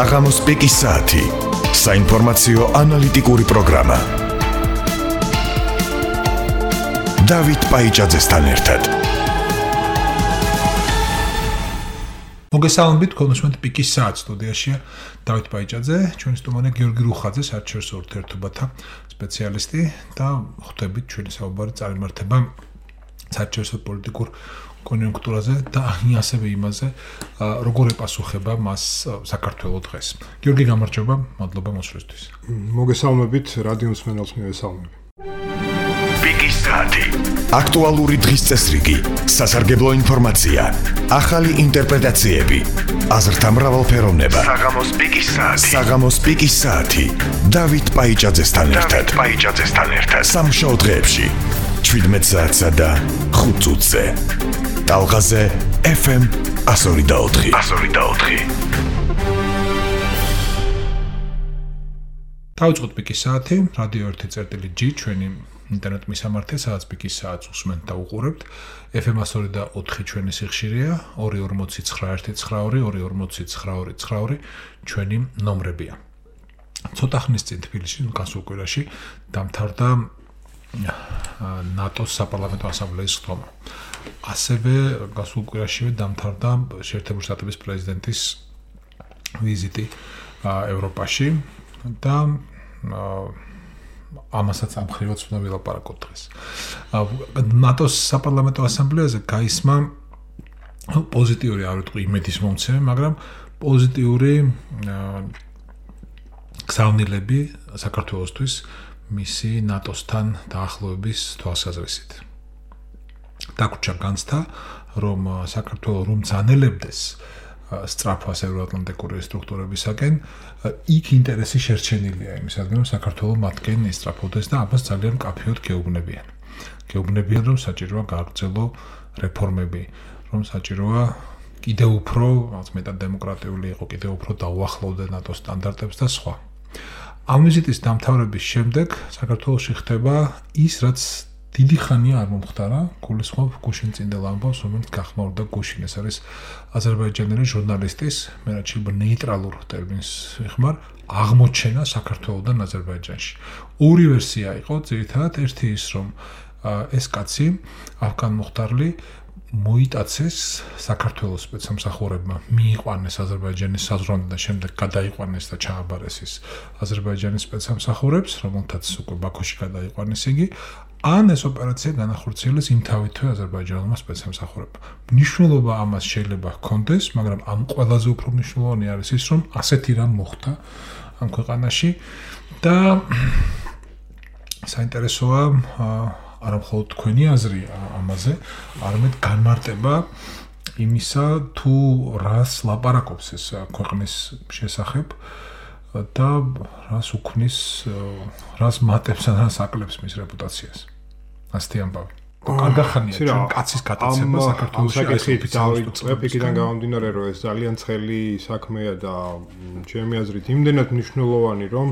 საღამოს პიკის საათი. საინფორმაციო ანალიტიკური პროგრამა. დავით პაიჭაძესთან ერთად. მოგესალმებით, კონსუმენტ პიკის საათ სტუდიაში დავით პაიჭაძე, ჩვენი სტუმარი გიორგი რუხაძე, საერთაშორისო ურთიერთობათა სპეციალისტი და ხვდებით ჩვენი საუბარი წარიმართება საერთაშორისო პოლიტიკურ კონიუნქტურაზე და ასევე იმაზე, როგორ ეპასუხება მას საქართველოს დღეს. გიორგი, გამარჯობა, მადლობა მოსვლისთვის. მოგესალმებით, რადიო მსმენელს მივესალმები. პიკის საათი. აქტუალური დღის წესრიგი, სასარგებლო ინფორმაცია, ახალი ინტერპრეტაციები, აზრთა მრავალფეროვნება. საღამოს პიკის საათი. დავით პაიჭაძესთან ერთად. სამშაბათ დღეებში 17 საათსა და 5 წუთზე. ტალღაზე FM 102.4. დავიწყოთ პიკის საათი, რადიო 1.G, ჩვენი ინტერნეტ მისამართი, სადაც პიკის საათს უსმენთ და უყურებთ. FM 102.4 ჩვენი სიხშირეა, 2409222 ჩვენი ნომრებია. ცოტა ხნის წინ თბილისში, გასულ კვირაში დამთავრდა ნატოს საპარლამენტო ასამბლეის ხდომა. ასევე გასულ კვირაშივე დამთავრდა შეერთებული შტატების პრეზიდენტის ვიზიტი ევროპაში და ამასაც ამხრივად უნდა ვილაპარაკოთ დღეს. ნატოს საპარლამენტო ასამბლეაზე გაისმა პოზიტიური, არ ვიტყვი იმედისმომცემი, მაგრამ პოზიტიური გზავნილები საქართველოსთვის მისი ნატოსთან დაახლოების თვალსაზრისით. დაგვრჩა განცდა, რომ საქართველოს რომ ძანელებდეს სწრაფას ევროატლანტიკური სტრუქტურებისაკენ, იქ ინტერესი შერჩენილია იმისადმი, რომ საქართველოს მათგან ისწრაფოდეს და ამას ძალიან მკაფიოდ გეუბნებიან. გეუბნებიან, რომ საჭიროა გააგრძელო რეფორმები, რომ საჭიროა კიდევ უფრო, მეტად დემოკრატიული იყო, კიდევ უფრო დაუახლოვდეს ნატოს სტანდარტებს და სხვა. ამ ვიზიტის დამთავრების შემდეგ საქართველოში ხდება ის, რაც დიდი ხანია არ მომხდარა, გულისხმობ გუშინ წინდელ ამბავს, რომელიც გახმაურდა გუშინ. ეს არის აზერბაიჯანელი ჟურნალისტის, მე რაც შეიძლება ნეიტრალურ ტერმინს ვიხმარ, აღმოჩენა საქართველოსთან აზერბაიჯანში. ორი ვერსია იყო, ძირითადად ერთი ის, რომ ეს კაცი ავგან მუხტარლი მოიტაცეს საქართველოს სპეცსამსახურებმა, მიიყვანეს აზერბაიჯანის საზღვრამდე და შემდეგ გადაიყვანეს და ჩააბარეს ის აზერბაიჯანის სპეცსამსახურებს, რომელთაც უკვე ბაქოში გადაიყვანეს იგი. ან ეს ოპერაცია განახორციელეს იმთავითვე აზერბაიჯანულმა სპეცსამსახურებმა. მნიშვნელობა ამას შეიძლება ჰქონდეს, მაგრამ ამ ყველაზე უფრო მნიშვნელოვანი არის ის, რომ ასეთი რამ მოხდა ამ ქვეყანაში და საინტერესოა არა მხოლოდ თქვენი აზრი ამაზე, არამედ განმარტება იმისა, თუ რას ლაპარაკობს ეს ქვეყნის შესახებ და რას უქმნის, რას მატებს და რას აკლებს მის რეპუტაციას. ასეთი ამბავი. კარგახანია ჩვენ კაცის გატაცება საქართველოში დავიწყებ იქიდან გამომდინარე, რომ ეს ძალიან ცხელი საქმეა და ჩემი აზრით იმდენად მნიშვნელოვანი, რომ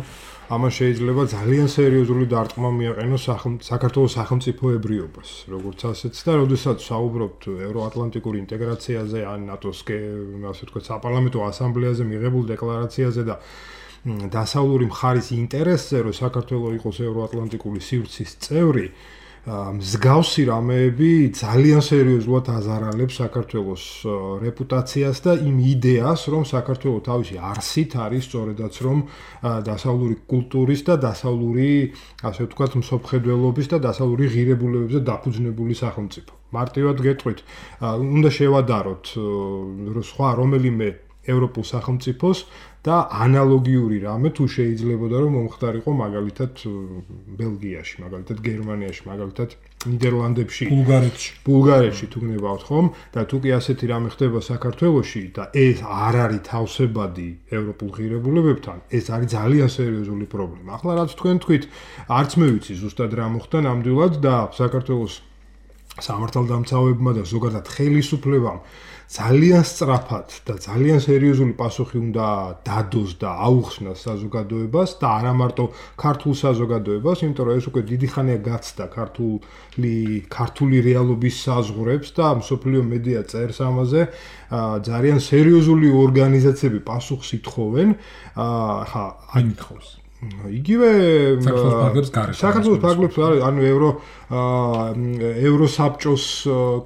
ამას შეიძლება ძალიან სერიოზული დარტყმა მიაყენოს საქართველოს სახელმწიფოებრიობას, როგორც ასეც და როდესაც საუბრობთ ევროატლანტიკური ინტეგრაციაზე ან ნატოს, ასე ვთქვათ, საპარლამენტო ასამბლეაზე მიღებულ დეკლარაციაზე და დასავლური მხარის ინტერესზე, რომ საქართველოს იყოს ევროატლანტიკური სივრცის წევრი, მსგავსი რამეები ძალიან სერიოზულად აზარალებს საქართველოს რეპუტაციას და იმ იდეას, რომ საქართველოს თავისი არსით არის სწორედაც რომ დასავლური კულტურის და დასავლური, ასე ვთქვათ, მსოფლმხედველობის და დასავლური ღირებულებებზე დაფუძნებული სახელმწიფო. მარტივად გეტყვით, უნდა შევადაროთ სხვა რომელიმე ევროპულ სახელმწიფოს და ანალოგიური რამე თუ შეიძლებოდა რომ მომხდარიყო მაგალითად ბელგიაში, მაგალითად გერმანიაში, მაგალითად ნიდერლანდებში, ბულგარეთში თუ გნებავთ ხომ და თუ კი ასეთი რამე ხდება საქართველოში და ეს არ არის თავსებადი ევროპულ ღირებულებებთან, ეს არის ძალიან სერიოზული პრობლემა. ახლა რაც თქვენ თქვით, არც მე ვიცი ზუსტად რა მოხდა ნამდვილად და საქართველოს სამართალდამცავებმა და ზოგადად ხელისუფლებამ ძალიან სწრაფად და ძალიან სერიოზული პასუხი უნდა დადოს და აუხსნას საზოგადოებას და არა მარტო ქართულ საზოგადოებას, იმიტომ რომ ეს უკვე დიდი ხანია გაცდა ქართული რეალობის საზღვრებს და მსოფლიო მედია წერს ამაზე, ძალიან სერიოზული ორგანიზაციები პასუხს ითხოვენ, იგივე საქართველოს ფარგლებს ანუ ევროსაბჭოს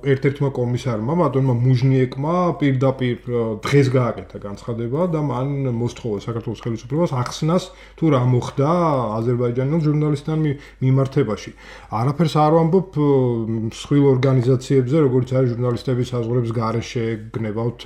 ერთ-ერთმა კომისარმა ბატონმა მუჟნიეკმა პირდაპირ დღეს გააკეთა განცხადება და მან მოსთხოვა საქართველოს ხელისუფლებას ახსნას თუ რა მოხდა აზერბაიჯანელ ჟურნალისტთან მიმართებაში. არაფერს არ ვამბობ მსხვილ ორგანიზაციებზე, როგორც არის ჟურნალისტების საზღვრების გარეშე, გნებავთ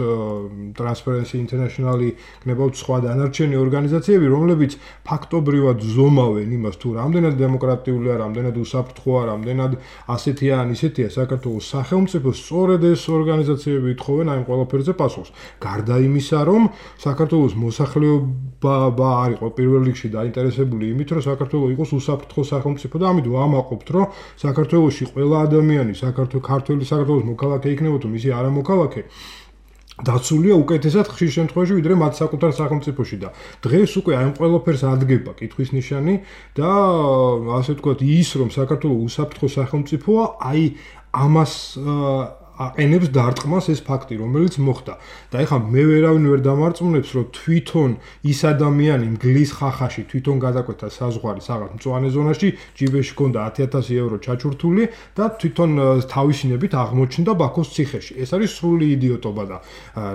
Transparency International-ი, გნებავთ სხვა დანარჩენი ორგანიზაციები, რომლებიც ფაქტობრივად ზომავენ იმას თუ რამდენად დემოკრატიულია, რამდენად უსაფრთხოა, რამდენად ასეთია ან ისეთია საქართველოს სახელმწიფოს, სწორედ ეს ორგანიზაციები ითხოვენ აი ყველაფერზე პასუხს. გარდა იმისა, რომ საქართველოს მოსახლეობა არ იყო პირველ რიგში დაინტერესებული იმით, რომ საქართველოს იყოს უსაფრთხო სახელმწიფო და ამიტომ ვამაყობთ, რომ საქართველოში ყველა ადამიანი, ქართველი საქართველოს მოქალაქე იქნება თუ მისი არა მოქალაქე დაცულია უკეთესად ხშირ შემთხვევაში ვიდრე მათ საკუთარ სახელმწიფოში და დღეს უკვე აი ყველაფერს ადგება კითხვის ნიშანი და ასე ვთქვათ ის რომ საქართველოს უსაფრთხო სახელმწიფოა აი ამას აყენებს დარტყმას ეს ფაქტი რომელიც მოხდა და ეხლა მე ვერავინ ვერ დამარწმუნებს რომ თვითონ ის ადამიანი მგლის ხახაში თვითონ გადაკვეთა საზღვარი რაღაც მწვანე ზონაში ჯიბეში ჰქონდა 10000 ევრო ჩაჩურთული და თვითონ თავისინებით აღმოჩნდა ბაქოს ციხეში ეს არის სრული იდიოტობა და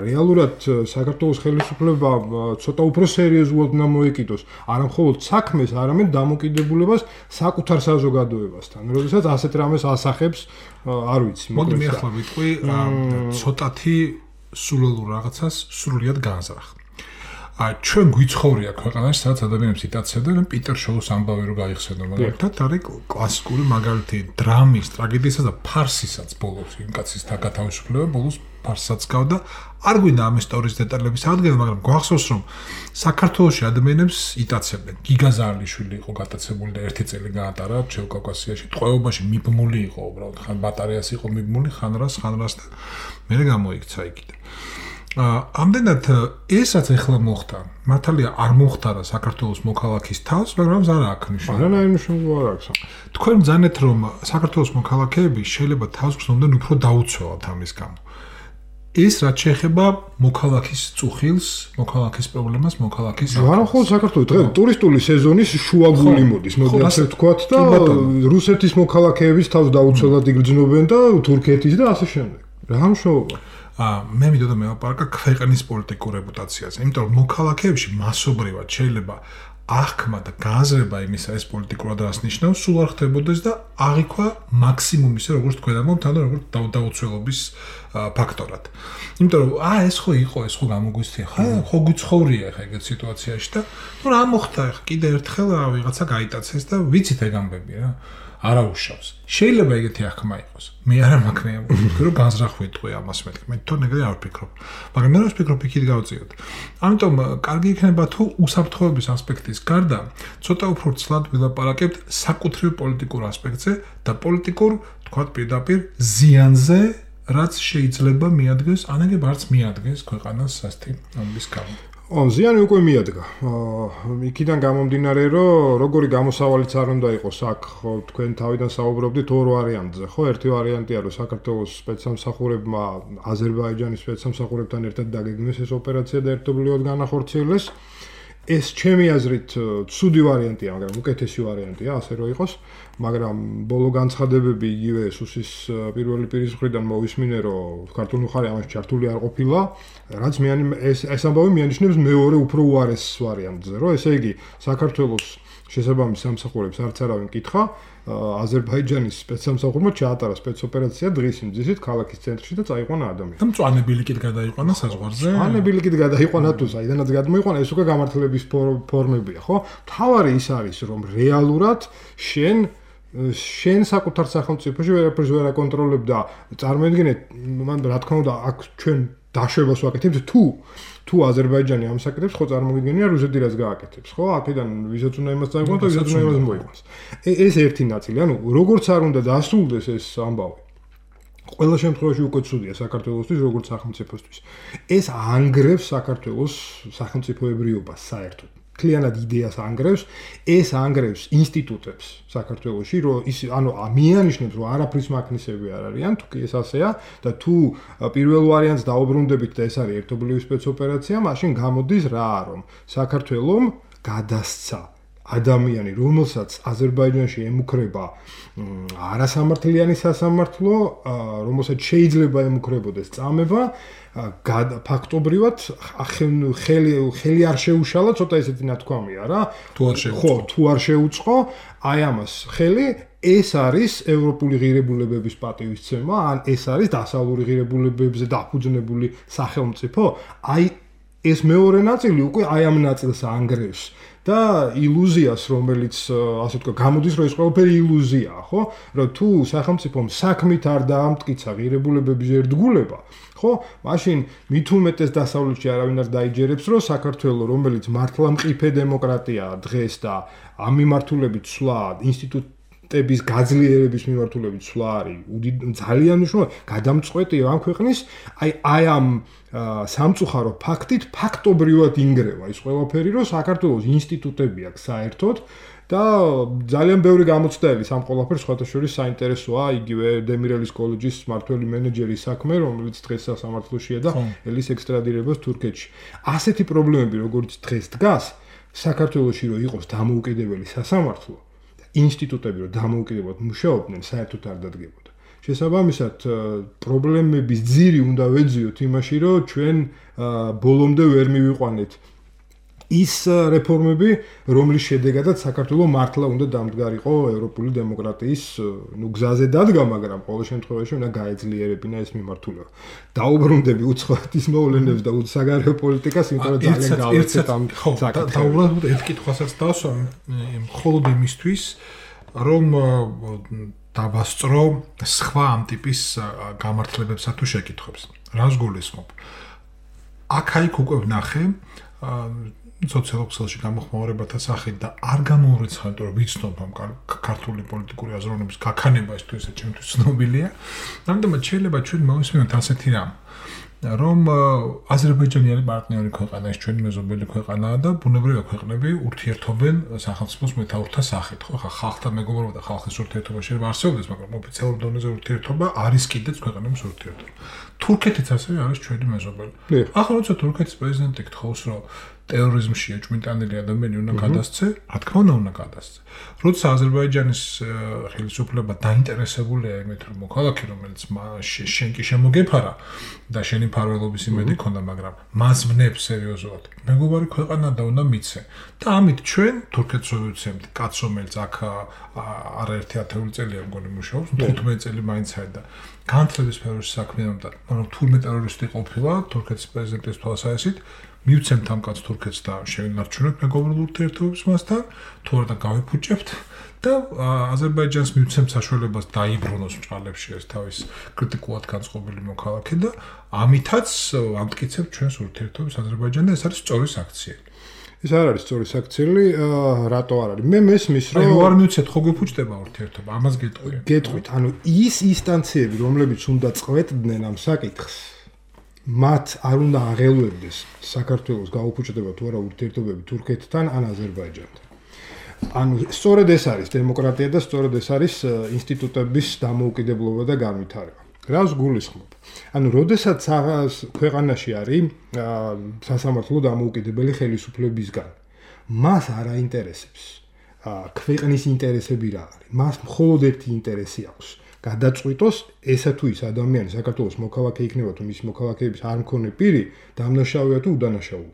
რეალურად საქართველოს ხელისუფლება ცოტა უფრო სერიოზულად უნდა მოეკიდოს არა მხოლოდ საქმეს არამედ დამოკიდებულებას საკუთარ საზოგადოებასთან როდესაც ასეთ რამეს ასახებს არ ვიცი მოდი მე ახლა ვიტყვი ცოტათი სულელურ რაღაცას სრულიად გააზრახ. ჩვენ გვიცხოვრია ქვეყანაში სადაც ადამიანებს იტაცებდნენ პიტერ შოუს ამბავი რო გაიხსენო მაგრამ არის კლასიკური მაგალითი დრამის ტრაგედიისა და ფარსისაც ბოლოს იმ კაცის გათავისუფლება ბოლოს ფარსსაც გავდა არ გვინდა ამ ისტორიის დეტალების აღდგენა მაგრამ გვახსოვს რომ საქართველოში ადამიანებს იტაცებდნენ გიგა ზარლიშვილი იყო გატაცებული და ერთი წელი გაატარა ჩევკავკასიაში ტყვეობაში მიბმული იყო უბრალოდ ხან ბატარეას იყო მიბმული ხან რას და მე გამოიქცა იქიდან ამდენად ესაც ახლა მოხდა მართალია არ მოხდარა საქართველოს მოქალაქის თავს მაგრამ არა აქვს ნიშანი არანაირი მნიშვნელობა არ აქვს თქვენ ბრძანეთ რომ საქართველოს მოქალაქეები შეიძლება თავს გრძნობდნენ უფრო დაუცველად ამის გამო ეს რაც შეეხება მოქალაქის წუხილს მოქალაქის პრობლემას მოქალაქის არა ხოლმე საქართველოს დღეს ტურისტული სეზონის შუაგული მოდის მოდი ასე ვთქვათ და რუსეთის მოქალაქეების თავს დაუცველად იგრძნობენ და თურქეთის და ასე შემდეგ რა მნიშვნელობა მე მიდოდა მე ვაპარაკა ქვეყნის პოლიტიკურ რეპუტაციაზე. იმიტომ რომ მოქალაქეებში მასობრივად შეიძლება აღქმა და გააზრება იმისა ეს პოლიტიკურად რას ნიშნავს, სულ არ ხდებოდეს და აღიქვა მაქსიმუმ ისე როგორც თქვენ ამბობთ, ანუ როგორც დაუცველობის ფაქტორად. იმიტომ რომ ეს ხო იყო, ეს ხო გამოგვისწია, ხო გვიცხოვრია ხა ეგეთ სიტუაციაში და ნუ რა მოხდა ხა კიდე ერთხელ ვიღაცა გაიტაცეს და ვიცით ეგ ამბები რა. არა უშავს. შეიძლება ეგეთი აღქმა იყოს. მე არა მაქვს მე ვფიქრობ რომ განზრახვით ამას მეთქი. მე თვითონ ეგრე არ ვფიქრობ. მაგრამ მე რა ვფიქრობ იქით გავწიოთ. ამიტომ კარგი იქნება თუ უსაფრთხოების ასპექტის გარდა ცოტა უფრო ცლად ვილაპარაკებთ საკუთრივ პოლიტიკურ ასპექტზე და პოლიტიკურ თქვათ პირდაპირ ზიანზე რაც შეიძლება მიადგეს, ანაგებ არც მიადგეს ქვეყანას სასტი ამის გამო. ზიანი უკვე მიადგა. იქიდან გამომდინარე, რომ როგორი გამოსავალიც არ უნდა იყოს აქ, თქვენ თავიდან საუბრობდით ორ ვარიანტზე, ხო? ერთი ვარიანტია, რომ საქართველოს სპეცსამსახურებმა აზერბაიჯანის სპეცსამსახურებთან ერთად დაგეგმეს ეს ოპერაცია და ერთობლივად განახორციელეს. ეს ჩემი აზრით ცუდი ვარიანტია, მაგრამ უკეთესი ვარიანტია, ასე რომ იყოს, მაგრამ ბოლო განცხადებები იგივე სუსის პირველი პირის მხრიდან მოვისმინე, რომ ქართული მხარე ამაში ჩართული არ ყოფილა, რაც ეს ამბავი მიანიშნებს მეორე უფრო უარეს ვარიანტზე, რომ ესე იგი საქართველოს შესაბამის სამსახურებს არც არავინ კითხა, აზერბაიჯანის სპეცსამსახურმა ჩაატარა სპეცოპერაცია დღის იმ ძისით ქალაქის ცენტრში და წაიყვანა ადამიანი. და მწვანე ბილიკით გადაიყვანა საზღვარზე? მწვანე ბილიკით გადაიყვანა თუ საიდანაც გადმოიყვანა, ეს უკვე გამართლების ფორმებია, ხო? თავარი ის არის, რომ რეალურად შენ საკუთარ სახელმწიფოში ვერაფერს ვერ აკონტროლებ და წარმოიდგინეთ, მან რა თქმა უნდა, აქ ჩვენ დაშვებას ვაკეთებთ თუ აზერბაიჯანი ამ საკეთებს ხო წარმოგიდგენია რუსეთი რაც გააკეთებს ხო აქედან ვისაც უნდა იმას წაიყვანოს და ვისაც უნდა იმას მოიყვანოს ეს ერთი ნაწილი ანუ როგორც არ უნდა დასრულდეს ეს ამბავი ყველა შემთხვევაში უკვე ცუდია საქართველოსთვის, როგორც სახელმწიფოსთვის. ეს ანგრევს საქართველოს სახელმწიფოებრიობას საერთოდ. Მთლიანად იდეას ანგრევს, ეს ანგრევს ინსტიტუტებს საქართველოში, რომ ის მიანიშნებს, რომ არაფრის მაქნისები არ არიან, თუ კი ეს ასეა და თუ პირველ ვარიანტს დაუბრუნდებით და ეს არის ერთობლივი სპეცოპერაცია, მაშინ გამოდის რა, რომ საქართველომ გადასცა ადამიანი, რომელსაც აზერბაიჯანში ემუქრება არასამართლიანი სასამართლო, რომელსაც შეიძლება ემუქრებოდეს წამება, ფაქტობრივად ხელი არ შეუშალა, ცოტა ესეთი ნათქვამია რა. თუ არ შეუწყო, აი ამას ხელი, ეს არის ევროპული ღირებულებების პატივისცემა, ან ეს არის დასავლური ღირებულებებზე დაფუძნებული სახელმწიფო. აი ეს მეორე ნაწილი უკვე აი ამ ნაწილს ანგრევს. და ილუზიას, რომელიც ასე ვთქვათ, გამოდის, რომ ეს ყველაფერი ილუზიაა, ხო? რომ თუ სახელმწიფომ საქმით არ დაამტკიცა ღირებულებების ერთგულება, ხო? მაშინ მით უმეტეს დასავლეთში არავინ არ დაიჯერებს, რომ საქართველოს, რომელიც მართლა მყიფე დემოკრატიაა დღეს და ამ მიმართულებით ცვლა ინსტიტუტების გაძლიერების მიმართულებით ცვლა არის ძალიან მნიშვნელოვანი, გადამწყვეტია ამ ქვეყნის, აი ამ სამწუხარო ფაქტით ფაქტობრივად ინგრევა ის ყველაფერი, რომ საქართველოს ინსტიტუტები აქვს საერთოდ და ძალიან ბევრი გამოცდაელი სამ ყველაფერს სხვათა შორის საინტერესოა იგივე დემირელის კოლეჯის მმართველი მენეჯერის საქმე, რომელიც დღეს სასამართლოშია და ელის ექსტრადირებას თურქეთში. ასეთი პრობლემები, როგორც დღეს დგას, საქართველოში რომ იყოს დამოუკიდებელი სასამართლო, ინსტიტუტები რომ დამოუკიდებლად მუშაობდნენ, საერთოდ არ დადგებოდა. შესაბამისად, პრობლემების ძირი უნდა ვეძიოთ იმაში, რომ ჩვენ ბოლომდე ვერ მივიყვანეთ ის რეფორმები, რომლის შედეგადაც საქართველოს მართლა უნდა დამდგარიყო ევროპული დემოკრატიის გზაზე დადგა, მაგრამ ყოველ შემთხვევაში უნდა გაეძლიერებინა ეს მიმართულება. დაუბრუნდები უცხოეთის ის მოვლენებს და საგარეო პოლიტიკას, იმიტომ რომ ძალიან გავეცეთ ამ საკითხს. და უბრალოდ ერთ კითხვასაც დავსვამ, მხოლოდ იმისთვის, რომ დავასწრო სხვა ამ ტიპის გამართლებებსა თუ შეკითხვებს. რას გულისხმობ? აქ-აიქ უკვე ვნახე სოციალურ გამოხმაურებათა სახით და არ გამოურიცხავ, რომ ვიცნობ ამ ქართული პოლიტიკური აზროვნების გაქანება ეს თუ ესე ჩემთვის ცნობილია. ამიტომაც შეიძლება ჩვენ მოვისმინოთ ასეთი რამ, რომ აზერბაიჯანი არის პარტნიორი ქვეყანა, ეს ჩვენი მეზობელი ქვეყანაა და ბუნებრივია ქვეყნები ურთიერთობენ სახელმწიფოს მეთაურთა სახით, ხო? ხა ხალხთან მეგობრობა და ხალხის ურთიერთობა შეიძლება არსებობდეს, მაგრამ ოფიციალურ დონეზე ურთიერთობა არის კიდეც ქვეყნების ურთიერთობა. თურქეთიც ასევე არის ჩვენი მეზობელი. ახლა როცა თურქეთის პრეზიდენტი გთხოვს, რომ ტერორიზმში ეჭვმიტანილი ადამიანი უნდა გადასცე, რა თქმა უნდა გადასცე. როცა აზერბაიჯანის ხელისუფლება დაინტერესებულია იმით, რომ მოქალაქე, რომელიც შენ კი შემოგეფარა და შენი ფარველობის იმედი ქონდა, მაგრამ მას ვნებს სერიოზულად. მეგობარი ქვეყანა და უნდა მიცე. და ამით ჩვენ თურქეთს ვეცემთ, კაც რომელიც აქ არაერთი 10 წელია მგონი მუშაობს, 15 წელი მაინც არის და განათლების სფეროში საქმიანობდა, მაგრამ თურმე ტერორისტი ყოფილა თურქეთის პრეზიდენტის თვალსაზრისით. მივცემთ ამ კაც თურქეთს და შევინარჩუნებთ მეგობრულ ურთიერთობებს მასთან, თუ არა გავიფუჭებთ და აზერბაიჯანს მივცემთ საშუალებას დაიბრუნოს მწვალებში ეს თავის კრიტიკულად განწყობილი მოქალაქე და ამითაც ამტკიცებთ ჩვენს ურთიერთობებს აზერბაიჯანთან, ეს არის სწორი საქციელი. ეს არ არის სწორი საქციელი, რატო არ არის? მე მესმის, რომ არ მივცეთ ხო გიფუჭდება ურთიერთობა, ამას გეტყვი. გეტყვით, ანუ ის ინსტანციები, რომლებიც უნდა წყვეტდნენ ამ საკითხს, მათ არ უნდა აღელვებდეს საქართველოს გაუფუჭდება თუ არა ურთიერთობები თურქეთთან ან აზერბაიჯანთან. ანუ სწორედ ეს არის დემოკრატია და სწორედ ეს არის ინსტიტუტების დამოუკიდებლობა და განვითარება. რას გულისხმობ? ანუ როდესაც ქვეყანაში არის სასამართლო დამოუკიდებელი ხელისუფლებისგან, მას არ აინტერესებს ქვეყნის ინტერესები რა არის. მას მხოლოდ ერთი ინტერესი აქვს. გადაწყვიტოს ესა თუ ის ადამიანი საქართველოს მოქალაქე იქნება თუ მისი მოქალაქეების არ მქონე პირი დამნაშავეა თუ უდანაშაულო.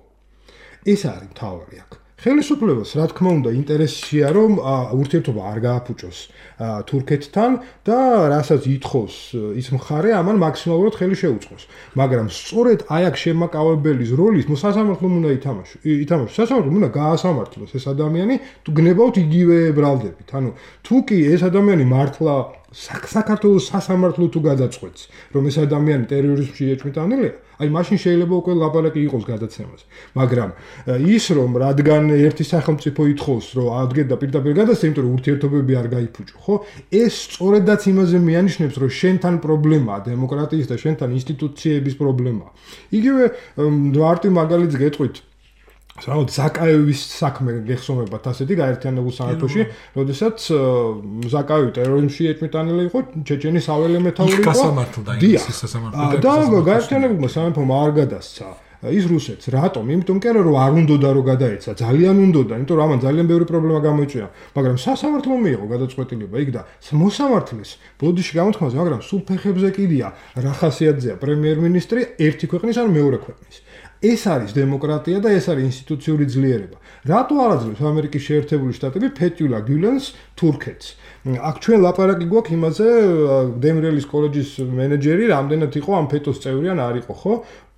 ეს არის მთავარი აქ. ხელისუფლებას რა თქმა უნდა ინტერესია რომ ურთიერთობა არ გააფუჭოს თურქეთთან და რასაც ითხოვს ის მხარე ამან მაქსიმალურად ხელი შეუწყოს. მაგრამ სწორედ აი აქ შემაკავებელის როლის სასამართლომ უნდა ითამაშოს. სასამართლომ უნდა გაასამართლოს ეს ადამიანი თუ გნებავთ იგივე ბრალდებით. ანუ თუ კი ეს ადამიანი მართლა საქართველოს სასამართლო თუ გადაწყვეტს, რომ ეს ადამიანი ტერორიზმში ეჭვმიტანილია, აი მაშინ შეიძლება უკვე ლაპარაკი იყოს გადაცემაზე. მაგრამ ის რომ რადგან ერთი სახელმწიფო ითხოვს, რომ ადგენ და პირდაპირ გადასცემ, იმიტომ რომ ურთიერთობები არ გაიფუჭო, ხო? ეს სწორედაც იმაზე მიანიშნებს, რომ შენთან პრობლემაა დემოკრატიის და შენთან ინსტიტუციების პრობლემაა. იგივე მარტივ მაგალითს გეტყვით საერთოდ ზაკაევის საქმე გეხსოვებათ ასეთი გაერთიანებულ სამეფოში, როდესაც ზაკაევი ტერორიზმში ეჭვმიტანილი იყო, ჩეჩენის საველე მეთაური იყო. გასამართლდა ინგლისის სასამართლო. და გაერთიანებულმა სამეფომ არ გადასცა ის რუსეთს. რატომ? იმიტომ კი არა რომ არ უნდოდა რომ გადაეცა, ძალიან უნდოდა, იმიტომ რომ ამან ძალიან ბევრი პრობლემა გამოიწვია, მაგრამ სასამართლომ მიიღო გადაწყვეტილება იქ და მოსამართლეს ბოდიში გამოთქმაზე, მაგრამ სულ ფეხებზე კიდია რა ხასიათზეა პრემიერ-მინისტრი ერთი ქვეყნის ან მეორე ქვეყნის. ეს არის დემოკრატია და ეს არის ინსტიტუციური ძლიერება. რატო არ აძლევს ამერიკის შეერთებული შტატები ფეტიულა გიულენს თურქეთს? აქ ჩვენ ლაპარაკი გვაქვს იმაზე, დემრელის კოლეჯის მენეჯერი რამდენად იყო ამ ფეტოს წევრი ან არ იყო, ხო?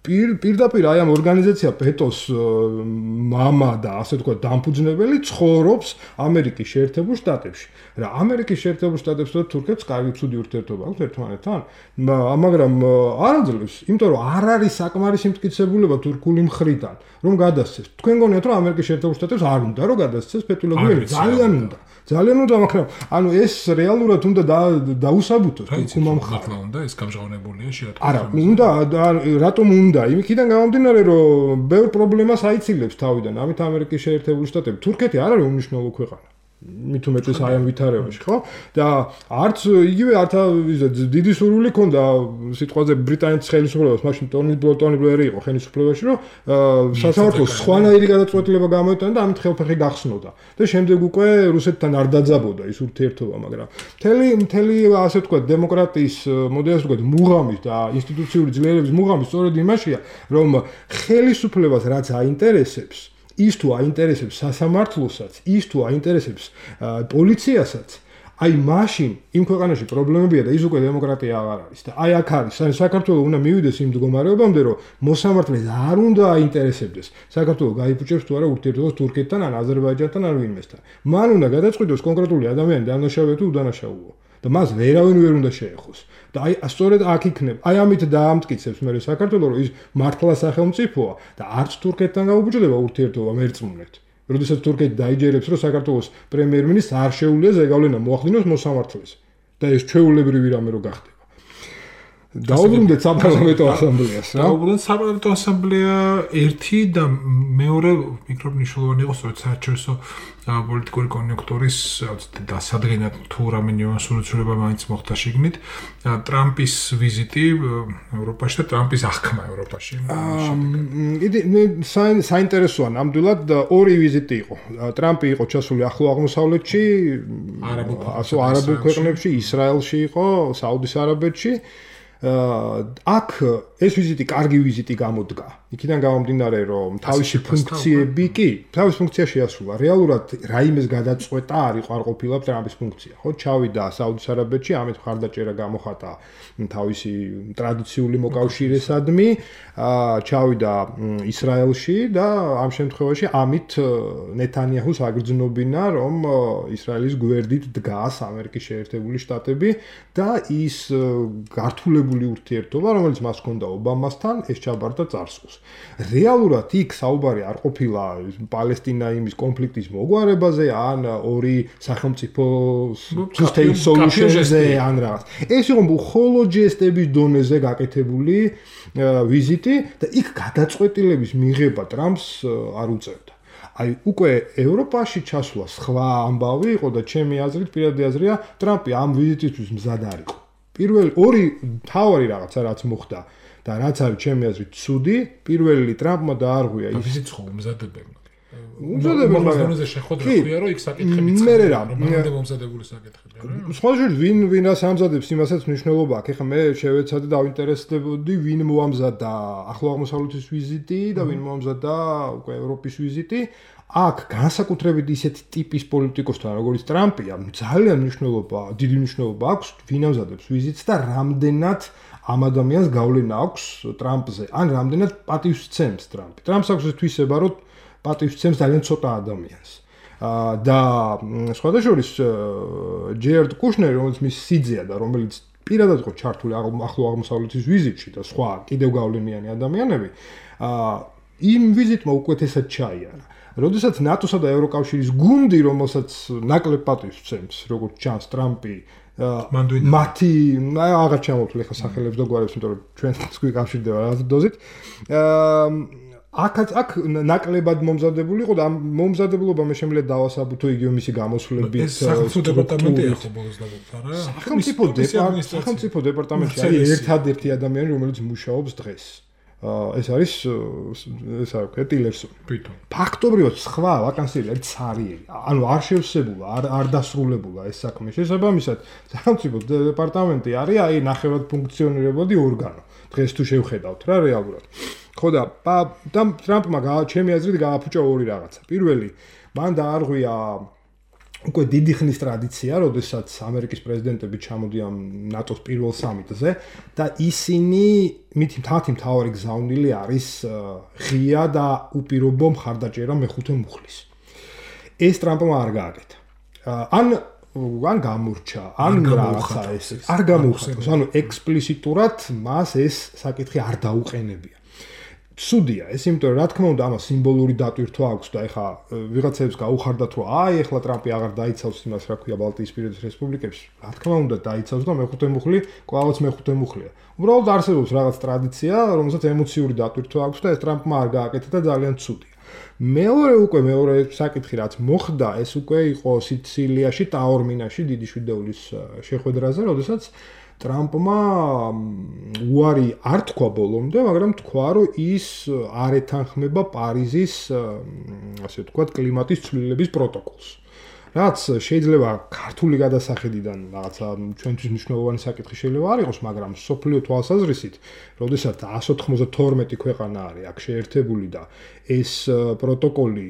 პირდაპირ აი ამ ორგანიზაცია პეტოს მამა და ასე თქვა დამფუძნებელი ცხოვრობს ამერიკის შეერთებულ შტატებში. რა ამერიკის შეერთებულ შტატებს და თურქეთს კარგი ცუდი ურთიერთობა აქვს ერთმანეთთან, მაგრამ არ აძლევს, იმიტომ რომ არ არის საკმარისი მტკიცებულება თურქული მხრიდან, რომ გადასცეს. თქვენ გონიათ რომ ამერიკის შეერთებულ შტატებს არ უნდა რომ გადასცეს ფეტიულა გიულენი? ძალიან უნდა. ძალიან უნდა, მაგრამ ანუ ეს რეალურად უნდა დაუსაბუთოს თურქულმა მხარემ. უნდა ეს გამჟღავნებულია შეატყო. არა, უნდა რატომ უნდა? იმიქიდან გამომდინარე, რომ ბევრ პრობლემას აიცილებს თავიდან. ამით ამერიკის შეერთებული შტატები, თურქეთი არ არის უმნიშვნელო ქვეყანა. მით უმეტეს აი ამ ვითარებაში, ხო? და არც იგივე არც დიდი სურვილი ქონდა სიტყვაზე ბრიტანეთის ხელისუფლებას, მაშინ ტონი ბლერი იყო ხელისუფლებაში, რომ სასამართლოს სხვანაირი გადაწყვეტილება გამოეტანა და ამით ხელფეხი გახსნოდა. და შემდეგ უკვე რუსეთთან არ დაძაბოდა ის ურთიერთობა, მაგრამ მთელი ასე ვთქვათ დემოკრატიის მოდელს ვთქვათ მუღამის და ინსტიტუციური ძლიერების მუღამი სწორედ იმაშია, რომ ხელისუფლებას რაც აინტერესებს ის თუ აინტერესებს სასამართლოსაც, ის თუ აინტერესებს პოლიციასაც, აი მაშინ იმ ქვეყანაში პრობლემებია და ის უკვე დემოკრატია აღარ არის. და აი აქ არის, საქართველოს უნდა მივიდეს იმ მდგომარეობამდე, რომ მოსამართლეს არ უნდა აინტერესებდეს საქართველოს გაიფუჭებს თუ არა ურთიერთობას თურქეთთან ან აზერბაიჯანთან ან ვინმესთან. მან უნდა გადაწყვიტოს კონკრეტული ადამიანი დანაშაულია თუ უდანაშაულოა. და მას ვერავინ ვერ უნდა შეეხოს. და აი სწორედ აქ იქნება. აი ამით დაამტკიცებს მე საქართველოს, რომ ის მართლა სახელმწიფოა და არც თურქეთთან გაუბრძდება ურთიერთობა მერწმუნეთ. როდესაც თურქეთი დაიჯერებს, რომ საქართველოს პრემიერ-მინისტრს არ შეუძლია ზეგავლენა მოახდინოს მოსამართლეს. და ეს ჩვეულებრივი რამე რო გახდება. დაუბრუნდეთ საპარლამენტო ასამბლეას, რა? დაუბრუნდეთ საპარლამენტო ასამბლეა ერთი და მეორე მიკრომნიშვნელოვანი იყო სწორედ საერთაშორისო პოლიტიკური კონიუნქტურის დასადგენად თუ რამე ნიუანსურიცება მაინც მოხდა შიგნით. ტრამპის ვიზიტი ევროპაში და ტრამპის აღქმა ევროპაში. საინტერესოა ნამდვილად ორი ვიზიტი იყო. ტრამპი იყო ჩასული ახლო აღმოსავლეთში, არაბულ ქვეყნებში, ისრაელში იყო, საუდის არაბეთში. აქ ეს ვიზიტი კარგი ვიზიტი გამოდგა. იქიდან გამომდინარე, რომ თავისი ფუნქციები კი, თავის ფუნქცია შეასრულა. რეალურად რაიმეს გადაწყვეტა არ იყო არ ყოფილა ტრამპის ფუნქცია, ხო? ჩავიდა საუდის არაბეთში, ამით მხარდაჭერა გამოხატა თავისი ტრადიციული მოკავშირესადმი, ჩავიდა ისრაელში და ამ შემთხვევაში ამით ნეთანიაჰუს აგრძნობინა, რომ ისრაელის გვერდით დგას ამერიკის შეერთებული შტატები და ის გართულებული ურთიერთობა, რომელიც მას ჰქონდა ობამასთან, ეს ჩაბარდა წარსულს. რეალურად იქ საუბარი არ ყოფილა პალესტინა-იმის კონფლიქტის მოგვარებაზე, ან ორი სახელმწიფო two-state solution-ზე, ან რაღაც. ეს იყო მხოლოდ ჯესტების დონეზე გაკეთებული ვიზიტი და იქ გადაწყვეტილების მიღება ტრამპს არ უწევდა. აი უკვე ევროპაში ჩასვლა სხვა ამბავი იყო და ჩემი აზრით, პირადი აზრია, ტრამპი ამ ვიზიტისთვის მზად არ იყო. პირველი ორი თავარი რაღაცა რაც მოხდა და რაც არის ჩემი აზრით ცუდი, პირველი ტრამპმა დაარღვია ის ვიზიტი ხო უმზადებელია. უმზადებელია, მაგრამ ეს შეხვედრა ხია, რომ იქ საკითხები წყდება, რომამდე მომზადებული საკითხებია, რა. სხვა შორის ვინ რას ამზადებს, იმასაც მნიშვნელობა აქვს. ეხლა მე შევეცადე დავინტერესდებოდი, ვინ მოამზადა ახლო აღმოსავლეთის ვიზიტი და ვინ მოამზადა უკვე ევროპის ვიზიტი. აქ განსაკუთრებით ისეთი ტიპის პოლიტიკოსთან, როგორც ტრამპია, ძალიან დიდი მნიშვნელობა აქვს, ვინ ამზადებს ვიზიტს და რამდენად ამ ადამიანს გავლენა აქვს ტრამპზე, ან რამდენად პატივს სცემს ტრამპი. ტრამპს აქვს ეს თვისება, რომ პატივს სცემს ძალიან ცოტა ადამიანს. და სხვადასხვის ჯერდ კუშნერი, რომელიც მის სიძეა და რომელიც პირადად იყო ჩართული ახლო აღმოსავლეთის ვიზიტში და სხვა კიდევ გავლენიანი ადამიანები, იმ ვიზიტმა უკეთესად ჩაიარა. როდესაც ნატოსა და ევროკავშირის გუნდი, რომელსაც ნაკლებ პატივს ვცემს, როგორც ჩანს ტრამპი მათი აღარ ჩამოვთვლი ხა სახელებს და გვარებს, იმიტომ რომ ჩვენ თქვი კავშირდება რაღაც დოზით. აქ ნაკლებად მომზადებული იყო და ამ მომზადებულობა მე შემიძლია დავასაბუთო იგივე მისი გამოსვლებით სახელმწიფო დეპარტამენტი ახო ბოლოს დაგვიწყდა რა. სახელმწიფო დეპარტამენტი არის ერთადერთი ადამიანი, რომელიც მუშაობს დღეს. ეს არის ტილერსონი. ფაქტობრივად სხვა ვაკანსიები არის ცარიელი. ანუ არ შევსებულა, არ დასრულებულა ეს საქმე. შესაბამისად, სახელმწიფო დეპარტამენტი არის აი ნახევრად ფუნქციონირებადი ორგანო. დღეს თუ შევხედავთ რა რეალურად. ხო და ტრამპმა ჩემი აზრით გააფუჭა ორი რაღაცა. პირველი, მან დაარღვია უკვე დიდი ხნის ტრადიცია, როდესაც ამერიკის პრეზიდენტები ჩამოდიან ნატოს პირველ სამიტზე და ისინი მათი მთავარი გზავნილი არის ღია და უპირობო მხარდაჭერა მეხუთე მუხლის. ეს ტრამპმა არ გააკეთა. ან გამურჩა, ან რაღაცა ეს არ გამოუხატოს. ანუ ექსპლიციტურად მას ეს საკითხი არ დაუყენებია. სუდია ეს, იმიტომ რომ რა თქმა უნდა ამას სიმბოლური დატვირთვა აქვს და ეხა ვიღაცებს გაუხარდათ რომ ეხლა ტრამპი აღარ დაიცავს იმას, რა ქვია ბალტიისპირეთის რესპუბლიკებს. რა თქმა უნდა დაიცავს და მეხუთე მუხლი კვლავაც მეხუთე მუხლია. უბრალოდ არსებობს რაღაც ტრადიცია, რომელსაც ემოციური დატვირთვა აქვს და ეს ტრამპმა არ გააკეთა და ძალიან ცუდია. მეორე საკითხი რაც მოხდა, ეს უკვე იყო სიცილიაში, ტაორმინაში, დიდი შვიდეულის შეხვედრაზე, როდესაც ტრამპმა უარი არ თქვა ბოლომდე, მაგრამ თქვა, რომ ის არ ეთანხმება პარიზის, ასე ვთქვათ, კლიმატის ცვლილების პროტოკოლს. რაც შეიძლება ქართული გადასახედიდან რაღაცა ჩვენთვის მნიშვნელოვანი საკითხი შეიძლება არ იყოს, მაგრამ სოფლიო თვალსაზრისით, როდესაც 192 ქვეყანა არის აქ შეერთებული და ეს პროტოკოლი